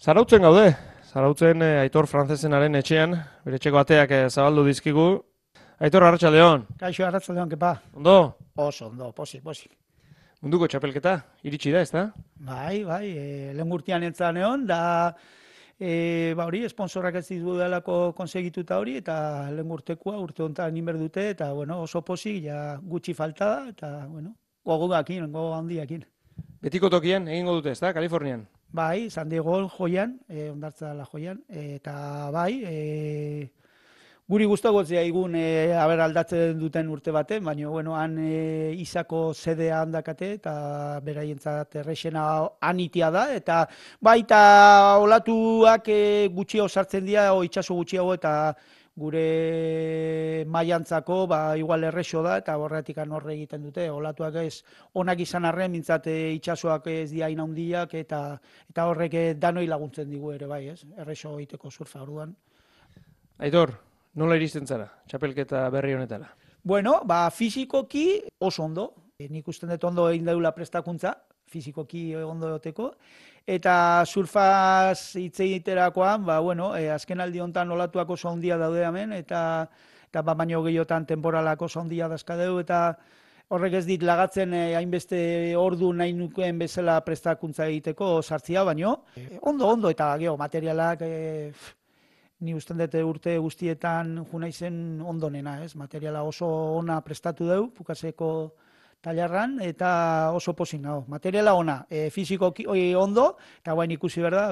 Zarautzen gaude, Zarautzen Aitor Frantzesenaren etxean, bere etxeko ateak zabaldu dizkigu. Aitor, arratsaldeon. Kaixo, arratsaldeon, kepa. Ondo, Oso, ondo, posik. munduko txapelketa, iritsi da, ezta? Bai, lehen urtean entzan egon, da, hori, esponsorak ez dudalako konsegituta hori, eta lehen urtekoa, urte honetan inber dute, eta, bueno, oso posik, ja gutxi falta da, eta, bueno, gogo handiakin. Betiko tokian egingo dute, ezta, Kalifornian. Bai, San Diego joian, ondartza dela joian, eta bai, guri gustagotzea igun aldatzen duten urte baten, baina bueno, han izako sedea handakate eta beraientzat errexena anitia da, eta baita olatuak gutxio sartzen dira, itsaso gutxiago eta gure mailantzako igual errexo da eta horretik horre egiten dute. Olatuak ez onak izan arren, mintzat itsasoak ez dira hain handiak eta horrek danoi laguntzen digu ere bai, ez? Errexo egiteko surfa orduan. Aitor, nola iristen zara, txapelketa berri honetara? Bueno, fisikoki oso ondo. Nik usten dut ondo egin daula prestakuntza, fisikoki ondo egoteko. Eta surfaz hitz egiterakoan, bueno, azken aldi honetan olatuak oso handia daude hemen, eta baino gehiotan temporalak oso handia dazkadeu, eta horrek ez dit lagatzen hainbeste ordu nahi nukeen bezala prestakuntza egiteko sartzia, baino ondo, eta geho, materialak ni usten dut urte guztietan junaizen ondonena, ez? Materiala oso ona prestatu deu, pukaseko tailarran, eta oso pozik nago. Materiala ona, fizikoki ondo, eta guain ikusi berda,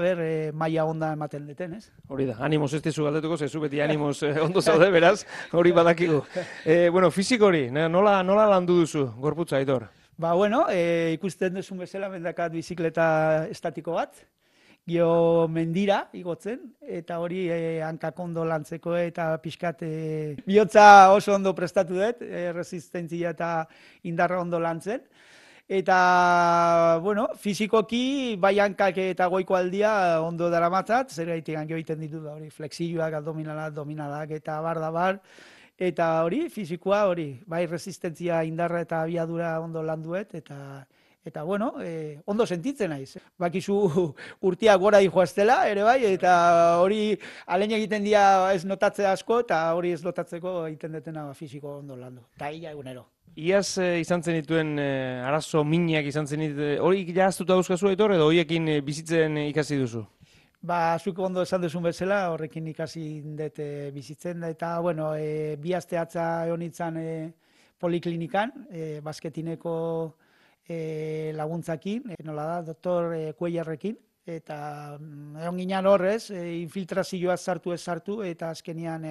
maila onda ematen deten, ez? Hori da, animoz ez dizu galdetuko, zezu beti animoz ondo zaude, beraz, hori badakigu. Bueno, fisiko hori, nola landu duzu, gorputza, Aitor? Bueno, ikusten duzun bezala, mendakat bizikleta estatiko bat, gio mendira igotzen, eta hori hankak ondo lantzeko eta pixkat bihotza oso ondo prestatu dut, resistentzia eta indarra ondo lantzen. Eta, bueno, fizikoki bai hankak eta goiko aldia ondo daramatzat, zer gaitik hankio egiten ditu da hori, flexioak, abdominalak eta bar, eta hori, fizikoa hori, bai resistentzia, indarra eta abiadura ondo landuet, eta bueno, ondo sentitzen naiz. Bakizu urtiak gora dijoaztela, ere bai, eta hori alein egiten dira ez notatzea asko, eta hori ez notatzeko egiten detena fisiko ondo landu. Eta ia egunero. Iaz izan zenituen arazo minak izan zenituen, hori jaztuta dauzkazu, Aitor, edo horiekin bizitzen ikasi duzu? Zuk ondo esan duzun bezala, horrekin ikasi dut bizitzen, eta, bueno, bi aste atza egon nintzen poliklinikan, basketineko laguntzakin, nola da, doktor Cuellarrekin, eta egon ginen horrez, infiltrazioa sartu, eta azkenian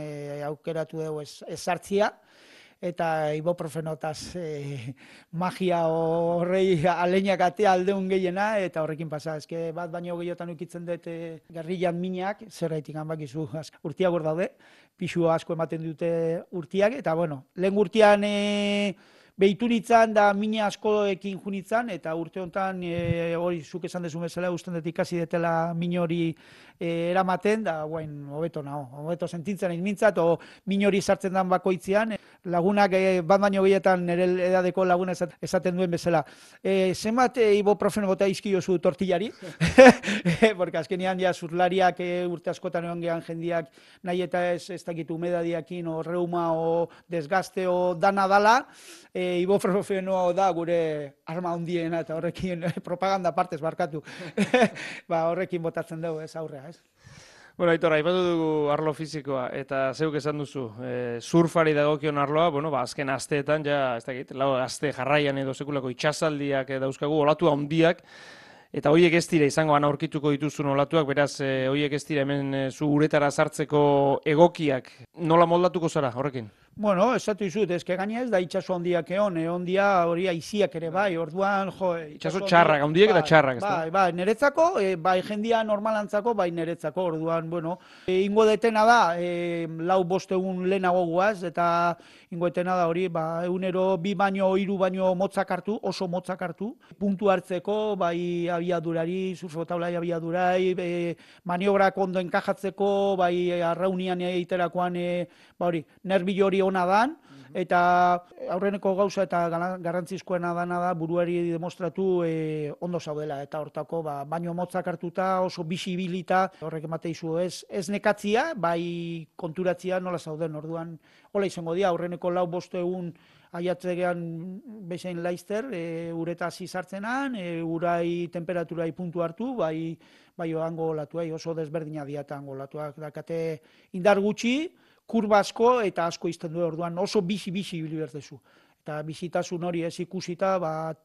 aukeratu dugu ez sartzia, eta ibuprofenotaz magia horrei aleinak atea aldeun gehiena, eta horrekin pasa, eske bat baino gehiotan ukitzen dut gerrillan minak, zerraitik hanbakizu, urtiak hor daude, pixu asko ematen dute urtiak, eta bueno, lehen urtean behitu nintzen da mina askoekin junitzen, eta urte honetan hori zuk esan dezu bezala usten dut ikasi detela min hori eramaten, da guain hobeto sentitzen egin mintzat, o min hori sartzen dan bakoitzean, lagunak bat baino gehietan nire edadeko laguna esaten duen bezala. Zenbat ibuprofeno bota izkiozu tortillari, porque azkenean ja zurlariak urte askotan egon gehan jendiak nahi eta ez dakit humedadiakin, o reuma, o desgaste, o dana dala, ibuprofenoa da gure arma handiena, eta horrekin propaganda partez barkatu, horrekin botatzen dugu ez aurrea, ez? Bueno, Aitor, aipatu dugu arlo fizikoa, eta zeuk esan duzu, surfari dagokion arloa, bueno, azken asteetan, ja, ez dakit, lau aste jarraian edo sekulako itxasaldiak dauzkagu, olatu handiak, eta horiek ez dira izango aurkituko dituzun olatuak, beraz, horiek ez dira hemen zu uretara sartzeko egokiak, nola moldatuko zara horrekin? Bueno, esatu izut, ezke gaina ez da itxaso handiak egon dia hori aiziak ere bai, orduan, itxaso txarrak, handiak eta txarrak, ez da? Bai, niretzako, bai jendia normalantzako, bai niretzako, orduan, bueno, ingo detena da, lau bostegun lehenago guaz, eta ingo detena da hori, egunero bi baino, hiru baino motzak hartu, oso motzak hartu, puntu hartzeko, bai abiadurari, surfotaulai abiadurai, maniobrak ondo enkajatzeko, bai arraunian egiterakoan, hori, nerbilo hori ona dan, eta aurreneko gauza eta garrantzizkoena dana da buruari demostratu ondo zaudela, eta hortako baino motzak hartuta oso bisibilita, horrek emate izu ez nekatzia, bai konturatzia nola zauden, orduan hola izango dira, aurreneko 4-5 egun aiatzegean bezain laizter, ureta hasi sartzenan, urai temperaturai puntu hartu, bai oango olatuai, oso desberdina diata ango olatuak, dakate indar gutxi, kurba asko eta asko izten du, orduan oso bisi ibili berdezu. Eta bizitasun hori ez ikusita,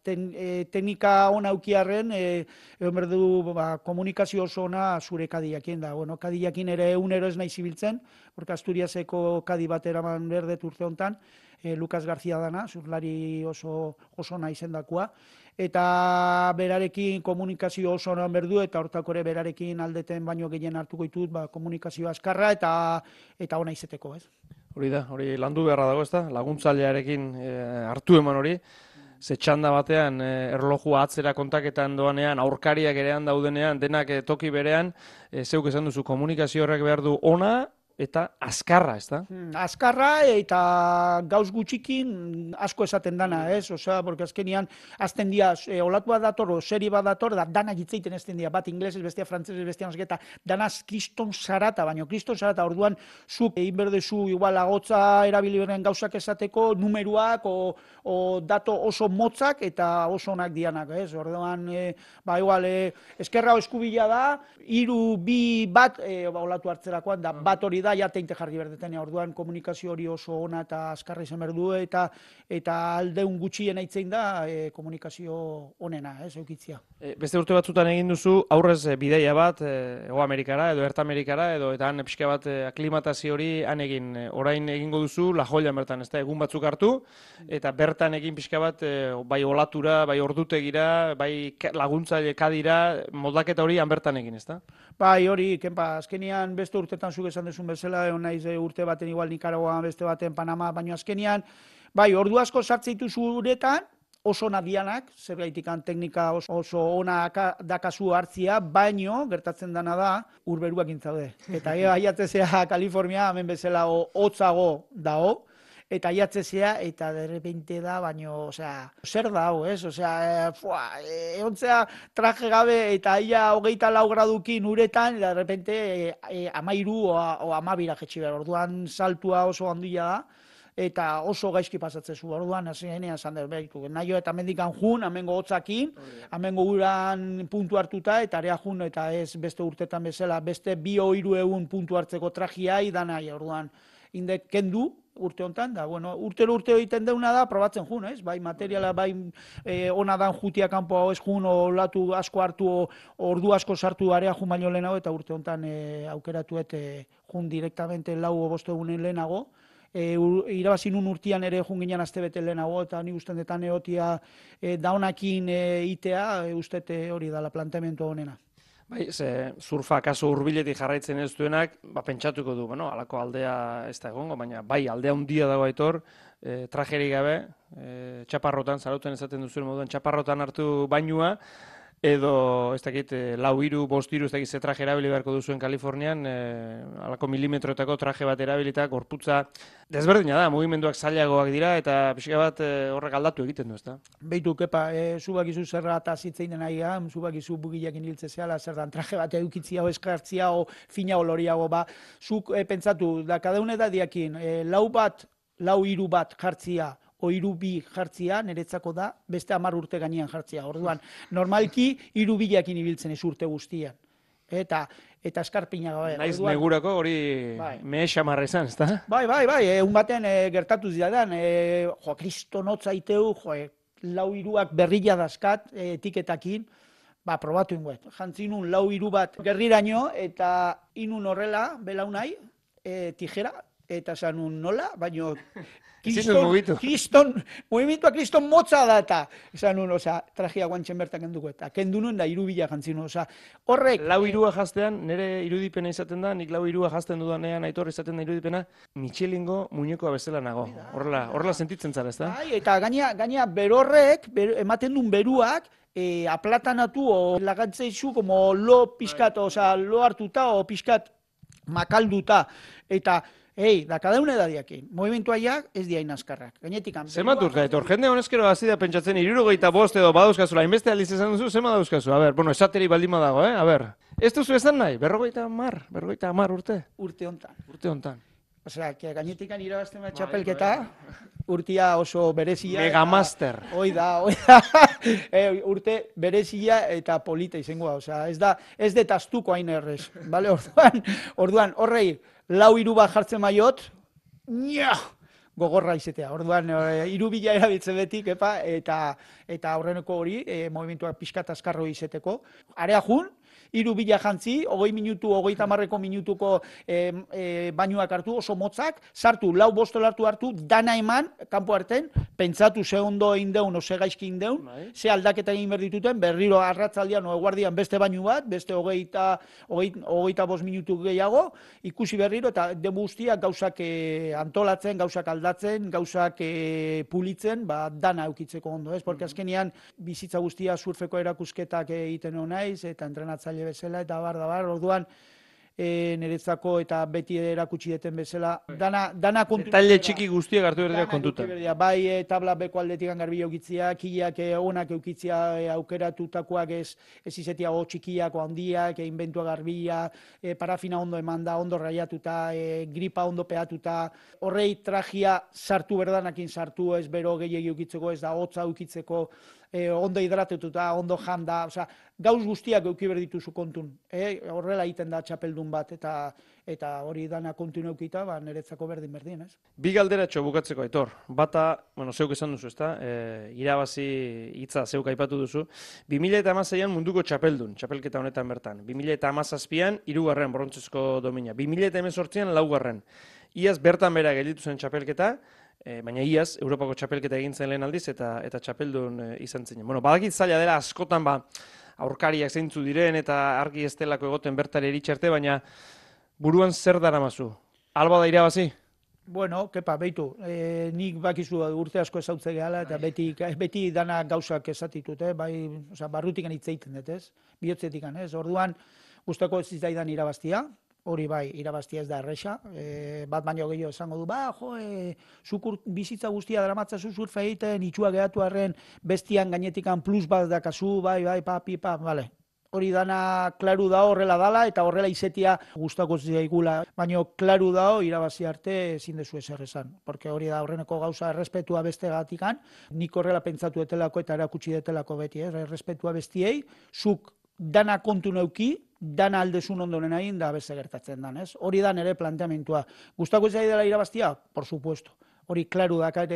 teknika ona aukiarren, egon berdu komunikazio oso ona zure kadiakin da. Bueno, kadiakin ere egunero ez nahi zibiltzen, porque Asturiaseko kadi bat eraman berdet urte hontan, Lucas García dana, zurlari oso ona izendakoa, eta berarekin komunikazio oso onan berdu, eta hortako ere berarekin aldeten baino gehien hartuko ditut, komunikazio azkarra eta ona izeteko, ez? Hori da, hori landu beharra dago, ezta? Laguntzailearekin hartu eman hori, ze txanda batean erlojua atzera kontaketan doanean, aurkariak erean daudenean, denak toki berean, zeuk esan duzu, komunikazio horrek behar du ona, eta azkarra, ez da? Azkarra eta gauz gutxikin asko esaten dana, ez? Osea, porque azkenian azten dia, olatu bat dator, seri bat dator, da danak hitzeiten ezten dia, bat inglesez, bestia frantzesez, bestia nosketa, danaz kriston sarata, baino kriston sarata, orduan zuk egin berdezu igual agotza erabili beren gauzak esateko, numeruak o dato oso motzak eta oso onak dianak, ez? Orduan, igual, eskerra eskubila da, 3, 2, 1, olatu hartzerakoan, da bat hori da, ja teinte jarri berdetenia, orduan komunikazio hori oso ona eta azkarra izan berdu, eta aldeun gutxien aitzein da komunikazio onena, eukitzia. Beste urte batzutan egin duzu, aurrez bidaia bat, Hego Amerikara edo Erta Amerikara, edo eta han pixka bat aklimatazio hori han egin, orain egingo duzu La Joian bertan, ez da, egun batzuk hartu, eta bertan egin pixka bat, bai olatura, bai ordutegira, bai laguntzaile kadira, moldaketa hori han bertan egin, ez da? Bai, hori, kenpa, azkenian beste urtetan zuk esan dezun bezala, naiz urte baten igual Nikaragoan, beste baten Panama, baina azkenian, bai, ordu asko sartzeitu uretan, oso ona dianak, zergaitikan teknika oso ona dakazu hartzia, baino, gertatzen dana da, urberuak intzaude. Eta aiatzezea Kalifornia, hemen bezala hotzago dao, eta aiatzezea, eta derrepente da, baino, osea, zer da hau, ez? Osea, egontzea traje gabe, eta ia 24 gradukin uretan, eta derrepente 13 o 12 jetxi behar, orduan saltua oso handia da, eta oso gaizki pasatzezu, orduan, hasenean esan dut, nahi eta mendikan jun, amengo hotzakin, amengo uran puntu hartuta, eta area jun, eta ez beste urtetan bezala, beste 2-3 egun puntu hartzeko trajia, idan nahi, orduan, indek kendu, urte hontan, da, bueno, urtero egiten deuna da, probatzen jun, ez? Bai, materiala, bai, ona dan jutia kanpoa ez jun, olatu asko hartu, ordu asko sartu area jun baino lehenago, eta urte hontan aukeratu jun direktamente 4 o 5 egunen lehenago, irabazi nun urtian ere jun ginen aste bete lehenago, eta ni usten detan egotia daunakin itea, ustet hori da, la planteamendu honena. Bai, surfa kaso hurbiletik jarraitzen ez duenak, pentsatuko du, bueno, halako aldea ez da egongo, baina bai, aldea handia dago Aitor, trajerik gabe, txaparrotan, zarauten esaten duzuen moduan, txaparrotan hartu bainua, edo, ez dakit, 4, 5, 3, ez dakit ze traje erabili beharko duzuen Kalifornian, halako milimetroetako traje bat erabilita, gorputza desberdina da, mugimenduak zailagoak dira, eta pixka bat horrek aldatu egiten du, ez da? Beitu, kepa, zubak izu zerra eta zitzein dena egan, zubak izu bugilekin hiltze zehala, zer dan traje bat edukitzia o eskartzia o fina oloriago, zuk pentsatu, da kadaune da diakin, 4 bat jartzia, o 3 2 jartzia, niretzako da, beste 10 urte gainean jartzia. Orduan, normalki 3 2 ibiltzen ez urte guztian. Eta eskarpina gabe. Naiz negurako hori mehe xamarra izan, ez da? Bai, egun baten gertatu zidadan, kriston hotza iteu, 4-3 berrila dazkat, etiketakin, probatu ingoet. Jantzinun 4-3 bat gerriraino, eta inun horrela, belaunai, tijera, eta zanun nola, baino Movimientua kriston motza da eta esan nun, trajea guantxen bertan kenduko eta kendu nuen da 3 bila jantzin, horrek... 4-3 jaztean, nire irudipena izaten da, nik 4-3 jazten dudanean Aitor izaten da irudipena, Michelingo muñekoa bezala nago. Horrela sentitzen zara, ez da? Bai, eta gaina berorrek, ematen duen beruak, aplatanatu o lagantzeizu, como lo pixkat, lo hartuta o pixkat makalduta, eta Da cada una edadiakin. Movimentuaiak ez diain azkarrak. Gainetik Zenbat urte, Aitor? Jende honezkero hasi da pentsatzen 75 edo badauzkazula, hainbeste aldiz esan duzu, zenbat dauzkazu? A ber, bueno, esateri baldin badago, A ber. Ez duzu esan nahi? 50 urte? Urte hontan. Urte hontan. Osea, gainetikan irabazten da txapelketa, urtia oso berezia. Megamaster. Hoi da. Urte berezia eta polita izangoa. Osea, ez detaztuko hain errez. Vale? Orduan, horrei, 4-3 bat jartzen maiot, gogorra izetea. Orduan, 3.000 erabiltzen betik, eta aurreneko hori, movimentuak pixkat azkarro izeteko. Area jun, 3.000 jantzi, 20 minutu, 30 minutuko bainuak hartu, oso motzak, sartu, 4-5 hartu, dana eman, kanpo harten, pentsatu ze ondo egin deun, ze gaizki egin deun, ze aldaketa egin behar dituten, berriro arratzaldian, eguardian beste bainu bat, beste 25 minutu gehiago, ikusi berriro, eta demu guztiak gauzak antolatzen, gauzak aldatzen, gauzak pulitzen, dana eukitzeko ondo, ez? Porque azkenean, bizitza guztia surfeko erakusketak egiten naiz, eta entrenatzaile bezala, eta bar, orduan, niretzako eta beti erakutsi deten bezala, dana kontu. Detaile txiki guztiak hartu berdeak kontutan. Bai, tabla beko aldetik garbi eukitzia, kiak onak eukitzia aukeratutakoak ez izetiago txikiak o handiak, inbentua garbia, parafina ondo emanda, ondo raiatuta, gripa ondo peatuta, horrei trajia sartu berdanakin sartu, ez bero gehiagi eukitzeko, ez da hotza eukitzeko, ondo hidratetuta, ondo janda, osea, gauz guztiak euki berdituzu kontun. Horrela egiten da txapeldun bat, eta hori dana kontun eukita, niretzako berdin, ez? Bi galderatxo bukatzeko, Aitor. Bata, zeuk esan duzu, ezta? Irabazi hitza zeuk aipatu duzu. 2016an munduko txapeldun, txapelketa honetan bertan. 2017an 3. brontzezko domina. 2018an 4. Iaz bertan bera gelditu zen txapelketa, baina iaz, Europako txapelketa egin zen lehen aldiz, eta txapeldun izan zen. Badakit zaila dela askotan aurkariak zeintzu diren, eta argi ez delako egoten bertare eritxarte, baina buruan zer daramazu? Alba da irabazi? Bueno, kepa, beitu, nik bakizu urte asko ezautze gehala, eta beti dana gauzak esatitut, bai, barrutikan hitz egiten dut, ez? Bihotzetikan, ez? Orduan, gustako ez zitzaidan irabaztia, hori bai, irabaztia ez da erresa, bat baino gehiago esango du, zuk bizitza guztia dramatzazu surfa egiten, itxua gehatu arren, bestian gainetikan plus bat dakazu, bai, pipa, bale. Hori dana klaru dao horrela dala, eta horrela izetia gustako zaigula, baina klaru dao irabazi arte ezin dezu ezer esan. Porque hori da horreneko gauza errespetua beste gatikan, nik horrela pentsatu etelako eta erakutsi detelako beti, errespetua bestiei, zuk dana kontu neuki, dana aldezun ondoren egin da beste gertatzen dan, ez? Hori da nire planteamentua. Gustako zai dela irabaztia? Por supuesto. Hori klaru dakar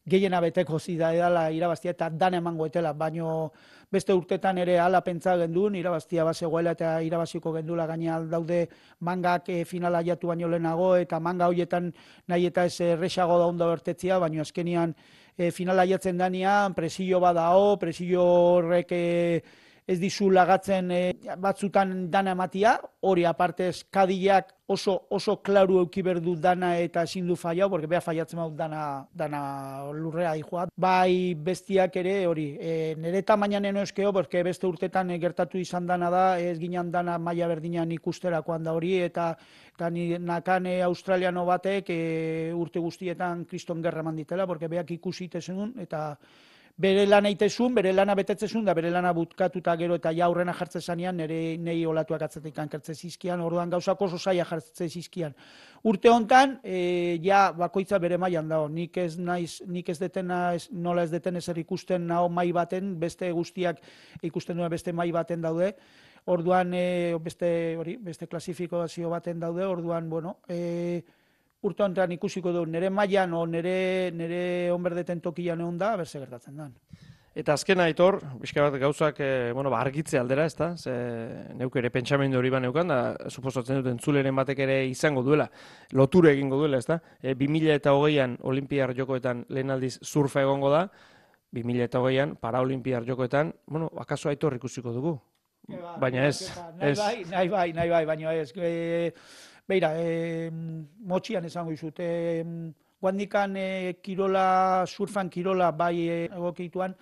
gehiena beteko zida edala irabaztia eta dana emango etela, baino beste urtetan ere hala pentsa gendun, irabaztia bazegoela eta irabaziko gendula gaina daude mangak finala jatu baino lehenago, eta manga horietan nahi eta ez erresago da ondo bertetzia, baino azkenian finala jatzen danean, presio badao, presio horrek ez dizu lagatzen batzutan dana ematia, hori apartez kadiak oso klaru euki berdu dana eta ezin du fallau, porque beha fallatzen dut dana lurrea dijoa. Bai bestiak ere hori, nire tamainan eno eskeo, porque beste urtetan gertatu izan dana da, ez ginen dana maila berdinan ikusterakoan da hori, eta nakan australiano batek urte guztietan kriston gerra manditela, porque beak ikusi itezen eta bere lana itezun, bere lana betetzezun, da bere lana butkatuta gero eta jaurrena jartzen zanean, nei olatuak atzetik ankertze zizkian, orduan gauzak oso zaila jartze zizkian. Urte hontan, ja bakoitza bere mailan dago, nik ez nola ez deten ezer ikusten naho mai baten, beste guztiak ikusten duen beste mai baten daude, orduan beste klasifikazio baten daude, orduan, bueno, urte honetan ikusiko du, nire mailan o nire onberdeten tokian egon da, berze gertatzen da. Eta azken Aitor, pixka bat gauzak argitze aldera, ezta? Neuk ere pentsamendu hori baneukan, da suposatzen dut entzuleren batek ere izango duela, loture egingo duela, ezta? 2020an Olinpiar Jokoetan lehen aldiz surfa egongo da, 2020an Paraolinpiar Jokoetan, akaso Aitor ikusiko dugu. Baina ez. Nahi bai, baina ez. Beira, motxian esango izut, guandikan surfan kirola bai egokituan,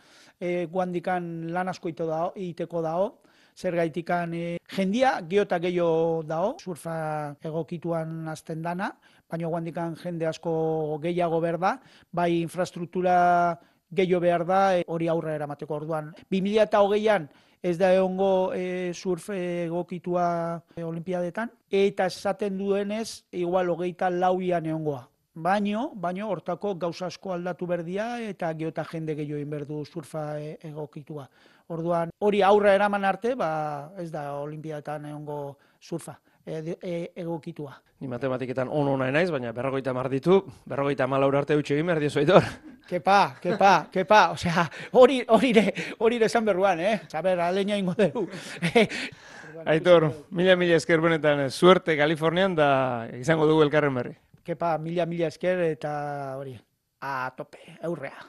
guandikan lan asko iteko dao, zer gaitikan jendia, geota gehiago dao, surfa egokituan azten dana, baina guandikan jende asko gehiago behar da, bai infrastruktura gehiago behar da, hori aurre eramateko orduan. 2008an ez da egongo surf egokitua olimpiadetan, eta esaten duenez, igual 24an egongoa. Baino, hortako gauza asko aldatu berdia eta geota jende gehiago inberdu surfa egokitua. Orduan, hori aurra eraman arte, ez da olimpiadetan egongo surfa egokitua. Ni matematiketan ona naiz, baina 50 ditu, 54 arte eutxe egin behar diozu, Aitor. Kepa, osea, hori esan berruan, Saber, aleina ingo dugu. Aitor, mila esker benetan, suerte Kalifornian da izango dugu elkarren berri. Kepa, mila esker eta hori, a tope, aurrea.